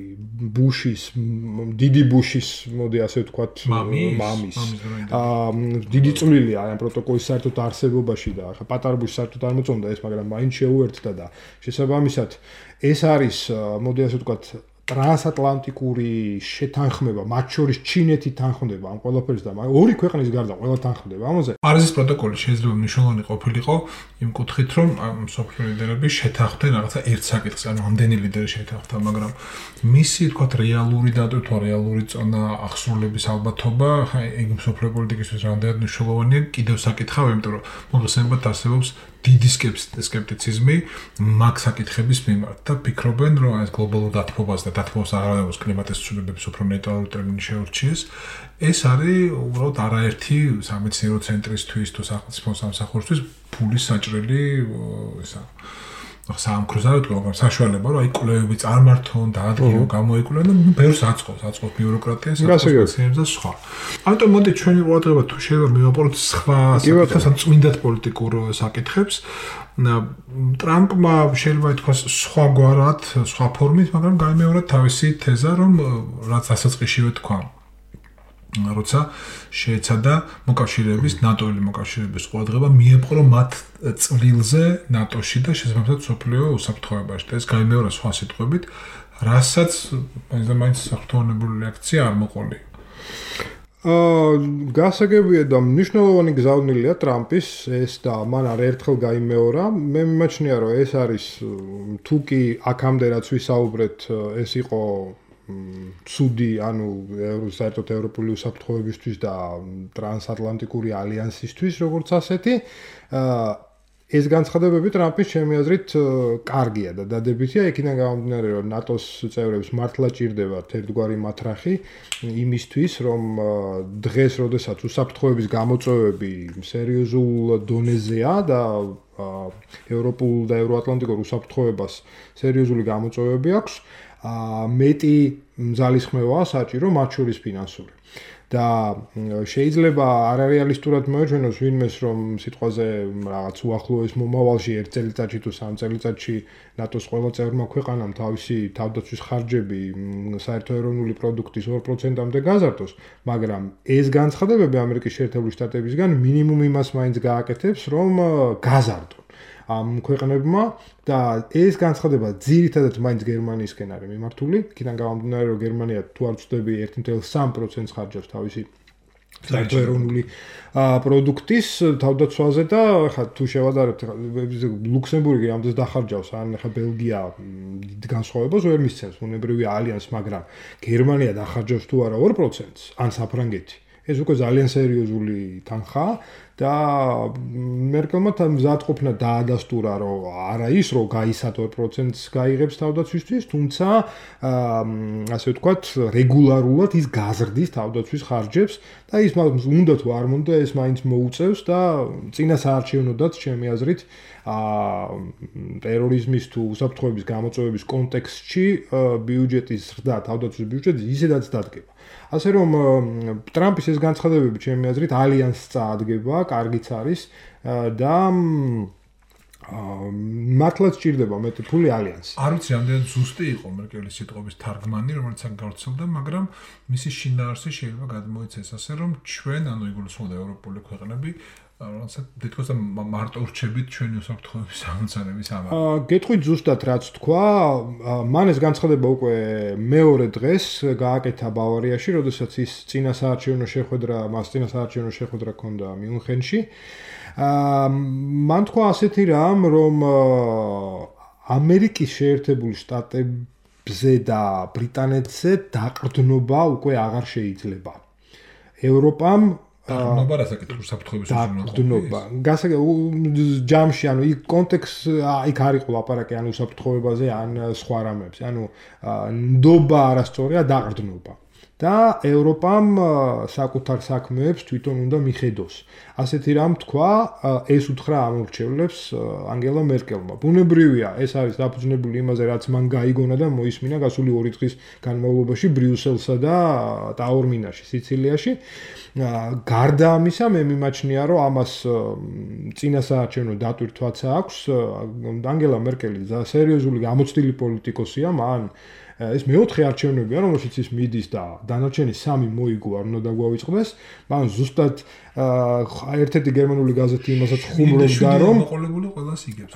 დიდი ბუშის, მოდი ასე ვთქვათ, მამის დიდი წვლილია ამ პროტოკოლის საერთოდ არსებობაში და ახლა პატარა ბუში საერთოდ არ მოწონდა ეს, მაგრამ მაინც შეუერთდა და შესაბამისად ეს არის, მოდი ასე ვთქვათ, ტრანსატლანტიკური შეთანხმება, მათ შორის ჩინეთი თანხმდება ამ ყველაფერს და ორი ქვეყნის გარდა ყველა თანხმდება ამაზე. პარიზის პროტოკოლი შეიძლება მნიშვნელოვანი ყოფილიყო იმ კუთხით, რომ მსოფლიო ლიდერები შეთანხმდნენ რაღაცა ერთ საკითხს, ანუ ამდენი ლიდერი შეთანხმდა, მაგრამ მისი თქვათ რეალური დატვირთვა, რეალური წონა, აღსრულების ალბათობა, ეგ მსოფლიო პოლიტიკისთვის რამდენად მნიშვნელოვანია, კიდევ საკითხავია, იმიტომ რომ მოგხსენებათ არსებობს დიდი სკეპტიციზმი მაგ საკითხების მიმართ და ფიქრობენ, რომ ეს გლობალურ დათბობას და დათბობს აღარებოს კლიმატის ცვლილებების უფრო ნეიტრალური ტერმინი შეურჩიეს. ეს არის უბრალოდ არაერთი სამეცნიერო ცენტრისთვის თუ სახელმწიფო სამსახურისთვის ფულის საჭრელი საამქროს არ ვთქვი, მაგრამ საშუალება, რომ აი კვლევები წარმართონ, დაადგინონ, გამოიკვლევენ და ბევრს აწყობს ბიუროკრატიას, სპეციალისტებს და სხვა. ამიტომ მოდი ჩვენი ყურადღება თუ შეიძლება მივაპაროთ სხვა საკითხებს, ან წმინდად პოლიტიკურ საკითხებს. ტრამპმა შეიძლება ითქვას სხვაგვარად, სხვა ფორმით, მაგრამ გაიმეორა თავისი თეზა, რომ რაც დასაწყისშივე თქვა. როცა შეეცადა მოკავშირეების, ნატოელი მოკავშირეების ყურადღება მიეპყრო მათ წვლილზე ნატოში და შესაბამისად სოფლიო უსაფრთხოებაში. ეს გაიმეორა სხვა სიტყვებით, რასაც მაინც საფრთხოვნებული რეაქცია არ მოყოლი. გასაგებია და მნიშვნელოვანი გზავნილია ტრამპის ეს და მან არაერთხელ გაიმეორა. მე მიმაჩნია, რომ ეს არის თუ კი აქამდე რაც ვისაუბრეთ, ეს იყო ცუდი, ანუ საერთოდ ევროპული უსაფრთხოებისთვის და ტრანსატლანტიკური ალიანსისთვის, როგორც ასეთი. ეს განცხადებები ტრამპის ჩემი აზრით კარგია და დადებითია, იქიდან გამომდინარე, რომ ნატოს წევრებს მართლა ჭირდებათ ერთგვარი მათრახი იმისთვის, რომ დღეს, როდესაც უსაფრთხოების გამოწვევები სერიოზულ დონეზეა და ევროპულ და ევროატლანტიკურ უსაფრთხოებას სერიოზული გამოწვევები აქვს, მეტი ძალისხმევაა საჭირო, მათ შორის ფინანსური. და შეიძლება არარეალისტურად მოეჩვენოს ვინმეს, რომ სიტყვაზე რაღაც უახლოეს მომავალში 1 წელიწადში თუ 3 წელიწადში ნატოს ყველა წევრმა ქვეყანამ თავისი თავდაცვის ხარჯები საერთო ეროვნული პროდუქტის 2%-მდე გაზარდოს, მაგრამ ეს განცხადებები ამერიკის შეერთებული შტატებისგან მინიმუმ იმას მაინც გააკეთებს, რომ გაზარდონ. ამ ქვეყნებმა და ეს განცხადება ძირითადად მაინც გერმანიისკენ არის მიმართული. იქიდან გამომდინარე, რომ გერმანია თუ არ ვცდები 1.3% ხარჯავს თავისი საერთო-ეროვნული პროდუქტის თავდაცვაზე და ხა თუ შევადარებთ ლუქსემბურგი ამდენს დახარჯავს ან ხა ბელგია დიდ განსხვავებას ვერ მისცემს უნებრივი ალიანს, მაგრამ გერმანია დახარჯავს თუ არა 2%-ს ან საფრანგეთი. ეს უკვე ძალიან სერიოზული თანხაა და მერკელმა მზადყოფნა დაადასტურა, რომ არა ის, რომ გაისად 2%-ს გაიღებს თავდაცვისთვის, თუმცა ასე ვთქვათ, რეგულარულად ის გაზრდის თავდაცვის ხარჯებს და ის უნდა თუ არ უნდა ეს მაინც მოუწევს და წინა საარჩევნოდაც ჩემი აზრით ტერორიზმის თუ უსაფრთხოების გამოწვევების კონტექსტში ბიუჯეტის ზრდა, თავდაცვის ბიუჯეტი ისედაც დადგება. ასე რომ ტრამპის ეს განცხადებები ჩემი აზრით ალიანსს წაადგება, კარგიც არის და მართლაც ჭირდება მეტი ფული ალიანსი. არ ვიცი, რამდენად ზუსტი იყო მერკელის სიტყვების თარგმანი, რომელიც აქ გავრცელდა, მაგრამ მისი შინაარსი შეიძლება გადმოიცეს ასე, რომ ჩვენ, ანუ იგულისხმება ევროპული ქვეყნები, რაღაცა თითქოს მარტო ვრჩებით ჩვენი უსაფრთხოების ამოცანების ამბავი. გეტყვით ზუსტად რაც თქვა, მან ეს განცხადება უკვე მეორე დღეს გააკეთა ბავარიაში, როდესაც ის წინა საარჩევნო შეხვედრა ჰქონდა მიუნხენში. მან თქვა ასეთი რამ, რომ ამერიკის შეერთებული შტატებზე და ბრიტანეთზე დაყრდნობა უკვე აღარ შეიძლება. ევროპამ დაყრდნობა რასაკეთებს უსაფრთხოების დაყრდნობა. ჯამში, ანუ იქ კონტექსტ იქ არ იყო ლაპარაკი ან უსაფრთხოებაზე, ან სხვა რამებზე. ანუ ნდობა არასწორია, დაყრდნობა. და ევროპამ საკუთარ საქმეებს თვითონ უნდა მიხედოს. ასეთი რამ თქვა, ეს უთხრა ამორჩევლებს ანგელა მერკელმა. ბუნებრივია, ეს არის დაფუძნებული იმაზე, რაც მან გაიგონა და მოისმინა გასული 2 დღის განმავლობაში ბრიუსელსა და ტაორმინაში, სიცილიაში. გარდა ამისა, მე მიმაჩნია, რომ ამას წინა საარჩევნო დატვირთვაც აქვს. ანგელა მერკელი სერიოზული გამოცდილი პოლიტიკოსია, მან ეს მეოთხე არჩევნებია, რომელშიც ის მიდის და დანარჩენი 3 მოიგო არ უნდა დაგვავიწყდეს. მან ზუსტად ერთ-ერთი გერმანული გაზეთი იმასაც ხუმრობდა, რომ მოყოლებული ყველას იგებს.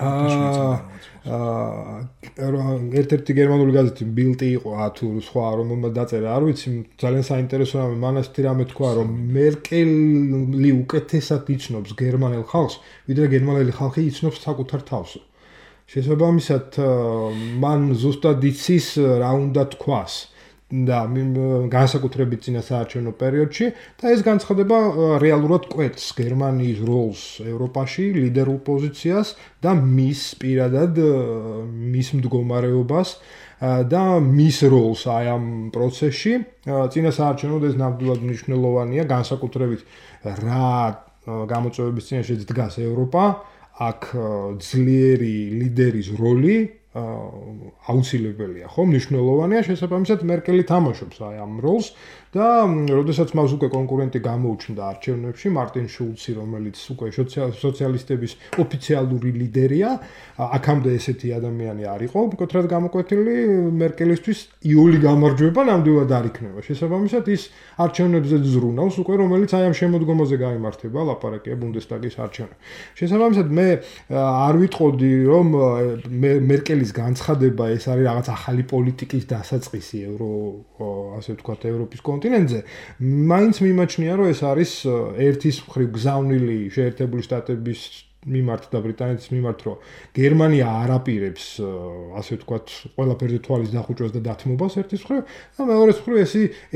ერთ-ერთი გერმანული გაზეთი ბილტი იყო თუ სხვა რომელმაც დაწერა, არ ვიცი, ძალიან საინტერესო რამე, მან ასეთი რამე თქვა, რომ მერკელი უკეთესად იცნობს გერმანელ ხალხს, ვიდრე გერმანელი ხალხი იცნობს საკუთარ თავს. შესაბამისად, მან ზუსტად იცის რა უნდა თქვას და განსაკუთრებით წინა საარჩევნო პერიოდში და ეს განცხადება რეალურად კვეთს გერმანიის როლს ევროპაში, ლიდერულ პოზიციას და მის პირადად მის მდგომარეობას და მის როლს აი ამ პროცესში. წინა საარჩევნოდ ეს ნამდვილად მნიშვნელოვანია, განსაკუთრებით რა გამოწვევების წინაშე დგას ევროპა. აქ ძლიერი ლიდერის როლი აუცილებელია, ხო, მნიშვნელოვანია, შესაბამისად მერკელი თამაშობს აი ამ როლს და როდესაც მას უკვე კონკურენტი გამოუჩნდა არჩევნებში, მარტინ შულცი, რომელიც უკვე სოციალისტების ოფიციალური ლიდერია, აქამდე ესეთი ადამიანი არ იყო, მკვეთრად გამოკვეთილი, მერკელისთვის იული გამარჯვება ნამდვილად არ იქნება. შესაბამისად ის არჩევნებზე ზრუნავს უკვე, რომელიც აი ამ შემოდგომაზე გაიმართება, ლაპარაკია ბუნდესტაგის არჩევნები. შესაბამისად მე არ ვიტყოდი, რომ მერკელის განცხადება ეს არის რაღაც ახალი პოლიტიკის დასაწყისი ასე ვთქვათ ევროპის კონტინენტზე. მაინც მიმაჩნია, რომ ეს არის ერთის მხრივ გზავნილი შეერთებული შტატების მიმართ და ბრიტანეთის მიმართ, რომ გერმანია არ აპირებს ასე ვთქვათ ყველაფერზე თვალის დახუჭვას და დათმობას ერთის მხრივ და მეორეს მხრივ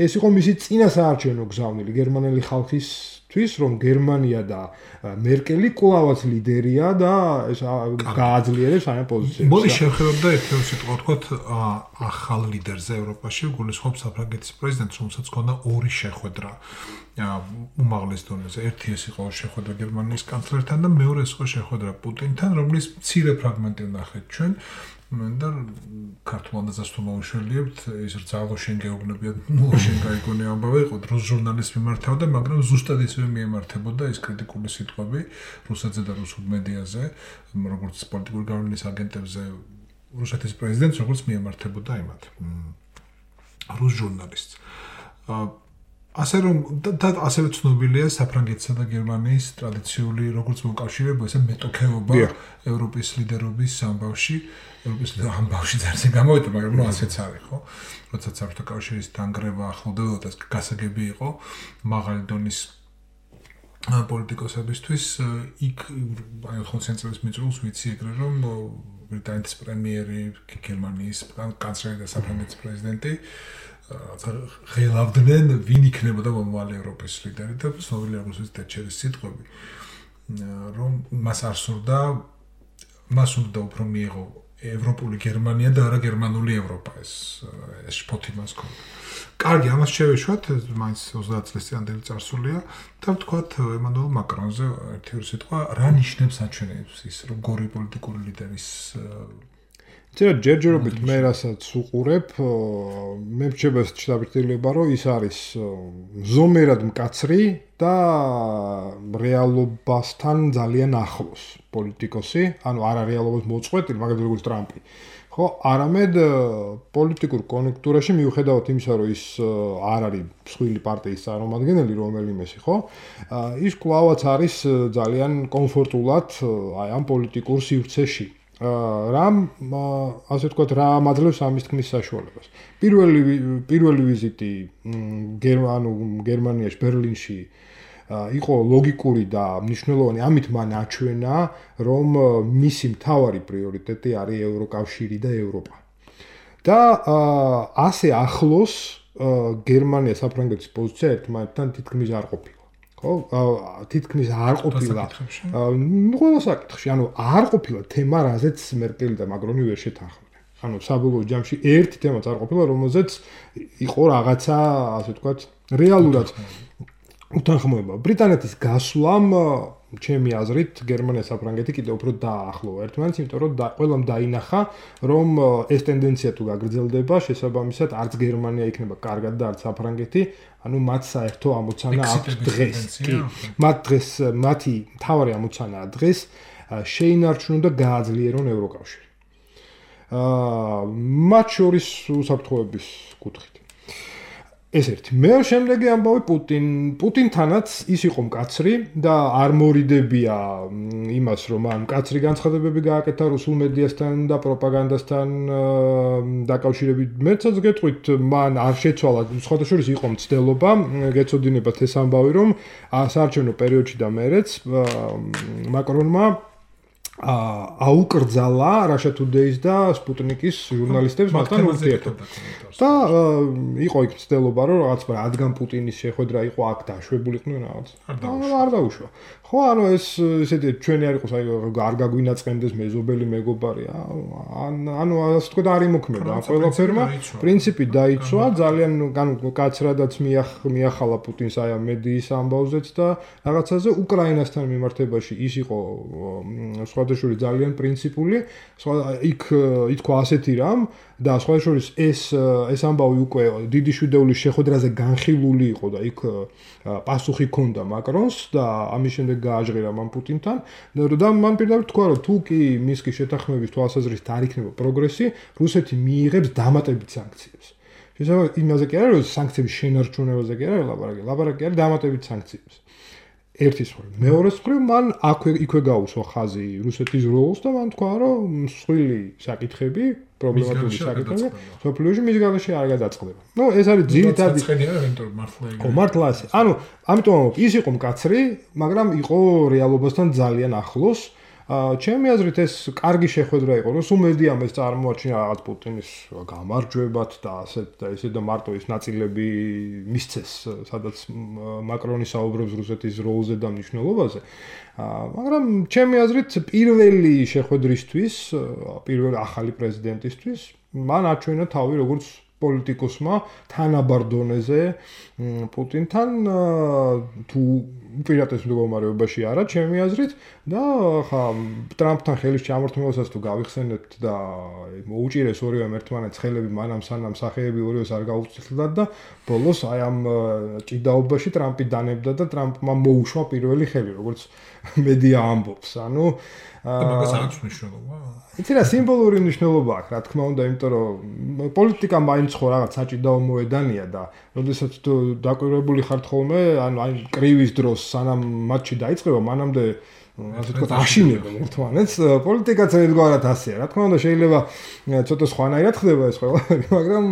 ეს იყო მისი წინა საარჩევნო გზავნილი გერმანელი ხალხისთვის, რომ გერმანია და მერკელი კვლავაც ლიდერია და ეს გააძლიერებს ამ პოზიციებს. მოდი შევხედოთ და ერთ-ერთი სიტყვა ვთქვათ ახალ ლიდერზე ევროპაში, გულისხმობს საფრანგეთის პრეზიდენტს, რომელსაც ჰქონდა 2 შეხვედრა უმაღლეს დონეზე. ერთი ეს იყო შეხვედრა გერმანიის კანცლერთან და მეორე ეს იყო შეხვედრა პუტინთან, რომლის მცირე ფრაგმენტი ვნახეთ ჩვენ. და ქართულადაც თუ მოვიშველიებთ, ის რძალო შენ გეუბნებიათ, შენ გაიგონე ამბავი იყო, რუს ჟურნალისტს მიმართავდა, მაგრამ ზუსტად ისევე მიემართებოდა ეს კრიტიკული სიტყვები რუსეთზე და რუსულ მედიაზე, როგორც პოლიტიკური გავლენის აგენტებზე, რუსეთის პრეზიდენტს, როგორც მიემართებოდა იმათ რუს ჟურნალისტს. ასე რომ და ასევე ცნობილია საფრანგეთსა და გერმანიის ტრადიციული როგორც მოკავშირეობა, ესე მეტოქეობა ევროპის ლიდერობის ამბავში, ევროპის ამბავში ძალიან გამოვიდა, მაგრამ ნუ ასეც არის, ხო? როდესაც საბჭოთა კავშირის დანგრევა ახლოვდებოდა და გასაგები იყო მაღალი დონის პოლიტიკოსებისთვის, იქ აი 80 წელს მიწურულს ვიცი ეგრე რომ ბრიტანეთის პრემიერი, გერმანიის კანცლერი და საფრანგეთის პრეზიდენტი ღელავდნენ ვინ იქნებოდა მომავალი ევროპის ლიდერი და ცნობილია როგორც ტეტჩერის სიტყვები რომ მას არ სურდა მას უნდა უფრო მიიღო ევროპული გერმანია და არა გერმანული ევროპა ეს შფოთი მას ქონდა. კარგი, ამას შევეშვათ, მაინც 30 წლის წინანდელი წარსულია და ვთქვათ ემანუელ მაკრონზე ერთი სიტყვა რა ნიშნებს აჩვენებს ის როგორი პოლიტიკური ლიდერის ჯერჯერობით მე რასაც უყურებ, მე მრჩება შთაბეჭდილება, რომ ის არის ზომერად მკაცრი და რეალობასთან ძალიან ახლოს პოლიტიკოსი, ანუ არა რეალობას მოწყვეტილი, მაგალითად როგორც ტრამპი. ხო, არამედ პოლიტიკურ კონექტურაში მიუხედავად იმისა, რომ ის არ არის მსხვილი პარტიის წარმომადგენელი რომელიმესი, ხო? ის კვლავაც არის ძალიან კომფორტულად აი ამ პოლიტიკურ სივრცეში. რამ ასე ვთქვათ, რა მაძლევს ამის თქმის საშუალებას. პირველი ვიზიტი გერმანიაში, ბერლინში იყო ლოგიკური და მნიშვნელოვანი, ამით მან აჩვენა, რომ მისი მთავარი პრიორიტეტი არის ევროკავშირი და ევროპა. და ასე ახლოს გერმანია საფრანგეთის პოზიცია ერთმანეთთან თითქმის არ ყოფილა. ხო, თითქმის არ ყოფილა. ყველა საკითხში, ანუ არ ყოფილა თემა, რაზეც მერკელი და მაკრონი ვერ შეთანხმდნენ. ანუ საბოლოო ჯამში ერთი თემაც არ ყოფილა, რომელზეც იყო რაღაცა, ასე ვთქვათ, რეალურად უთანხმოება. ბრიტანეთის გასვლამ, ჩემი აზრით, გერმანია საფრანგეთი კიდევ უფრო დაახლოვა ერთმანეთს, იმიტომ რომ ყველამ დაინახა, რომ ეს ტენდენცია თუ გაგრძელდება, შესაბამისად, არც გერმანია იქნება კარგად და არც საფრანგეთი, ანუ მათ საერთო ამოცანა აქვს დღეს. მათი მთავარი ამოცანაა დღეს შეინარჩუნონ და გააძლიერონ ევროკავშირი. მათ შორის უსაფრთხოების კუთხით. ეს ერთი. მეორე შემდეგი ამბავი პუტინთანაც ის იყო მკაცრი და არ მორიდებია იმას, რომ ამ მკაცრი განცხადებები გააკეთა რუსულ მედიასთან და პროპაგანდასთან დაკავშირებით. მეცაც გეტყვით, მან არ შეცვალა, სხვათა შორის იყო მცდელობა, გეცოდინებათ ეს ამბავი, რომ საარჩევნო პერიოდში და მერეც მაკრონმა აუკრძალა Russia Today-ის და Sputnik-ის ჟურნალისტებს მასთან ურთიერთობა. და იყო იქ ცდილობა, რომ რაღაც რადგან პუტინის შეხვედრა იყო აქ დაშვებულიყვნენ რაღაც. არ დაუშვა. ხო, ანუ ეს ესეთი ჩვენი არ იყოს, აი არ გაგვინაწყენდეს მეზობელი მეგობარი. ანუ ასე თქვა და არ იმოქმედა ამ ყველაფერმა. პრინციპი დაიცვა, ძალიან კაცრადაც მიახალა პუტინს აი ამ მედიის ამბავზეც და რაღაცაზე უკრაინასთან მიმართებაში ის იყო სხვადასხვა ძალიან პრინციპული, იქ ითქვა ასეთი რამ და სხვადასხვა ეს ამბავი უკვე დიდი შვიდეულის შეხვედრაზე განხილული იყო და იქ პასუხი ჰქონდა მაკრონს და ამის შემდეგ გააჟღერა მან პუტინთან და მან პირდაპირ თქვა, რომ თუ კი მისკის შეთანხმების თვალსაზრისით არ იქნება პროგრესი, რუსეთი მიიღებს დამატებით სანქციებს. შესაძლოა იმაზე კი არა, რომ სანქციების შენარჩუნებაზე კი არა ლაპარაკი არის დამატებით სანქციებს. ერთის მხრივ, მეორეს მხრივ, მან იქვე გაუსვა ხაზი რუსეთის როლს და მან თქვა, რომ მსხვილი საკითხები, პრობლემატური საკითხები, სოფლიოში მის გარეშე არ გადაწყდება. ნუ ეს არის ძირითადი მართლა ასე. ანუ ამიტომ ის იყო მკაცრი, მაგრამ იყო რეალობასთან ძალიან ახლოს. ჩემი აზრით ეს კარგი შეხვედრა იყო, რომ სულ მედიამ ეს წარმოაჩინა რაღაც პუტინის გამარჯვებად და ესე და მარტო ის ნაწილები მისცეს, სადაც მაკრონი საუბრობს რუსეთის როლზე და მნიშვნელობაზე. მაგრამ ჩემი აზრით პირველი შეხვედრისთვის, პირველი ახალი პრეზიდენტისთვის მან აჩვენა თავი როგორც პოლიტიკოსმა თანაბარ დონეზე პუტინთან თუ უპირატეს მდგომარეობაში არა, ჩემი აზრით და ხა ტრამპთან ხელის ჩამორთმევასაც თუ გავიხსენებთ და მოუჭირეს ორივე ერთმანეთს ხელები მანამ სანამ სახეები ორივეს არ გაუწილდათ და ბოლოს აი ამ ჭიდაობაში ტრამპი დანებდა და ტრამპმა მოუშვა პირველი ხელი, როგორც მედია ამბობს. ანუ მაგას აქვს მნიშვნელობა. იცი რა სიმბოლური მნიშვნელობა აქვს, რა თქმა უნდა, იმიტომ რომ პოლიტიკა მაინც ხო რაღაც საჭიდაო მოედანია და როდესაც თუ დაკვირვებული ხართ ხოლმე, ანუ აი კრივის დროს სანამ მატჩი დაიწყება, მანამდე ასე თქვა აშინებენ ერთმანეთს. პოლიტიკაც ერთგვარად ასეა. რა თქმა უნდა, შეიძლება ცოტა სხვანაირად ხდება ეს ყველაფერი, მაგრამ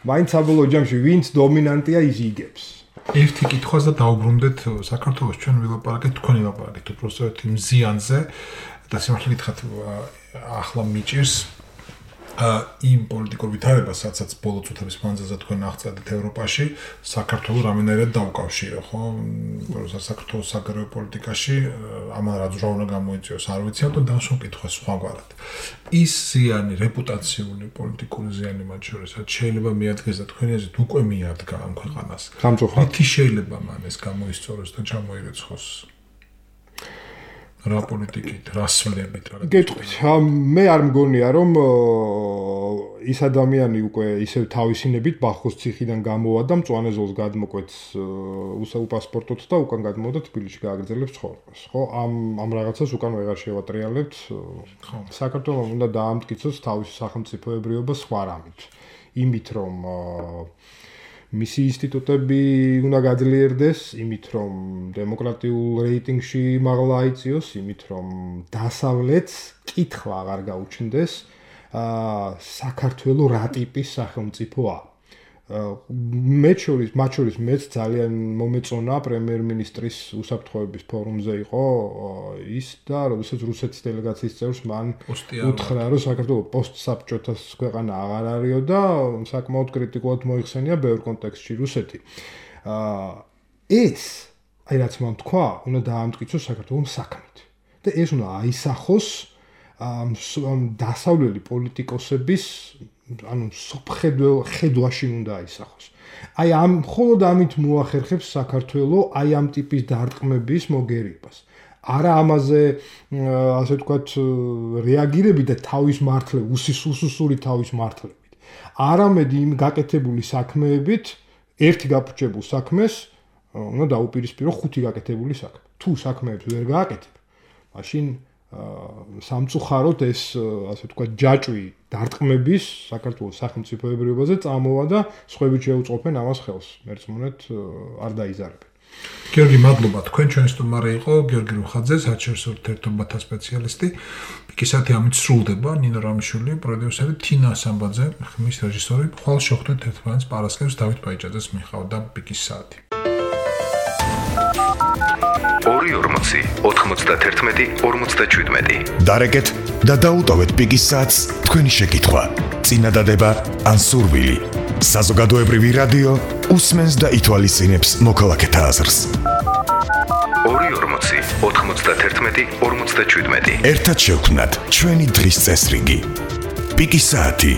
მაინც საბოლოო ჯამში ვინც დომინანტია ის იგებს. ერთი კითხვას და დაუბრუნდეთ საქართველოს ჩვენ ვილაპარაკეთ თქვენი ლაპარაკით უბრალოდ იმ ზიანზე და სიმართლე გითხრათ ახლა მიჭირს იმ პოლიტიკურ ვითარებას, სადაც ბოლო წუთების მანძილზე თქვენ აღწევთ ევროპაში, საქართველოს რამენერად დაუკავშირო, ხო? როცა საქართველოს საგარეო პოლიტიკაში ამან რა ძრა უნდა გამოიწვიოს, არ ვიცი, ამიტომ დავსვამ კითხვას სხვაგვარად. ის ზიანი, რეპუტაციული პოლიტიკური ზიანი მათ შორის, შეიძლება მიადგეს და თქვენი აზრით უკვე მიადგა ამ ქვეყანას. სამწუხაროდ. τι შეიძლება მან ეს გამოისწოროს და ჩამოირეცხოს? რა პოლიტიკით, რა სვლებით, რა. გეტყვით, მე არ მგონია რომ ის ადამიანი უკვე ისევ თავისინებით ბახოს ციხიდან გამოვა და მწვანე ზოლს გადმოკვეთს უპასპორტოთ და უკან გადმოვიდა თბილისში გააგრძელებს ცხოვრებას. ხო, ამ რაღაცას უკან ვეღარ შევატრიალებთ. საქართველოს უნდა დაამტკიცოს თავისი სახელმწიფოებრიობა სხვა რამით. იმით რომ მისი ინსტიტუტები უნდა გაძლიერდეს, იმით რომ დემოკრატიულ რეიტინგში მაღლა აიწიოს, იმით რომ დასავლეთს კითხვა აღარ გაუჩნდეს, საქართველოს რა ტიპის სახელმწიფოა. მათ შორის მეც ძალიან მომეწონა პრემიერ-მინისტრის უსაფრთხოების ფორუმზე იყო ის და როდესაც რუსეთის დელეგაციის წევრს მან უთხრა რომ საქართველოს პოსტსაბჭოთა ქვეყანა აღარ არისო და საკმაოდ კრიტიკულად მოიხსენია ბევრ კონტექსტში რუსეთი. ეს აი რაც მან თქვა, უნდა დაამტკიცოს საქართველოს საქმით. და ეს უნდა აისახოს დასავლელი პოლიტიკოსების ანუ ხედვაში უნდა აისახოს. აი ამ მხოლოდ ამით მოახერხებს საქართველოს აი ამ ტიპის დარტყმების მოგერიებას. არა ამაზე ასე ვთქვათ რეაგირებით და თავის მართლე უსუსური თავის მართლებით. არამედ იმ გაკეთებული საქმეებით ერთი გაფრჩებულ საქმეს უნდა დაუპირისპირო ხუთი გაკეთებული საქმე. თუ საქმეებს ვერ გააკეთებ, მაშინ სამწუხაროდ ეს ასე ვთქვათ ჯაჭვი დარტყმების საქართველოს სახელმწიფოებრიობაზე წამოვა და სხვაები შეუწყობენ ამას ხელს. მერწმუნეთ არ დაიზარებენ. გიორგი, მადლობა. თქვენ ჩვენი სტუმარი იყო გიორგი რუხაძე, საერთაშორისო ურთიერთობათა სპეციალისტი. პიკისათი ამით სრულდება. ნინო რამიშვილი, პროდიუსერი, თინა სამბაძე, ხმის რეჟისორი. ხვალ შეხვდეთ ერთმანეთს პარასკევს დავით ბაიჭაძეს მიხავდა პიკის საათი. 240 91 47. დარეკეთ და დაუტოვეთ პიკის საათს თქვენი შეკითხვა, წინადადება ან სურვილი. საზოგადოებრივი რადიო უსმენს და ითვალისწინებს მოქალაქეთა აზრს. 240 91 47. ერთად შევქმნათ ჩვენი დღის წესრიგი. პიკის საათი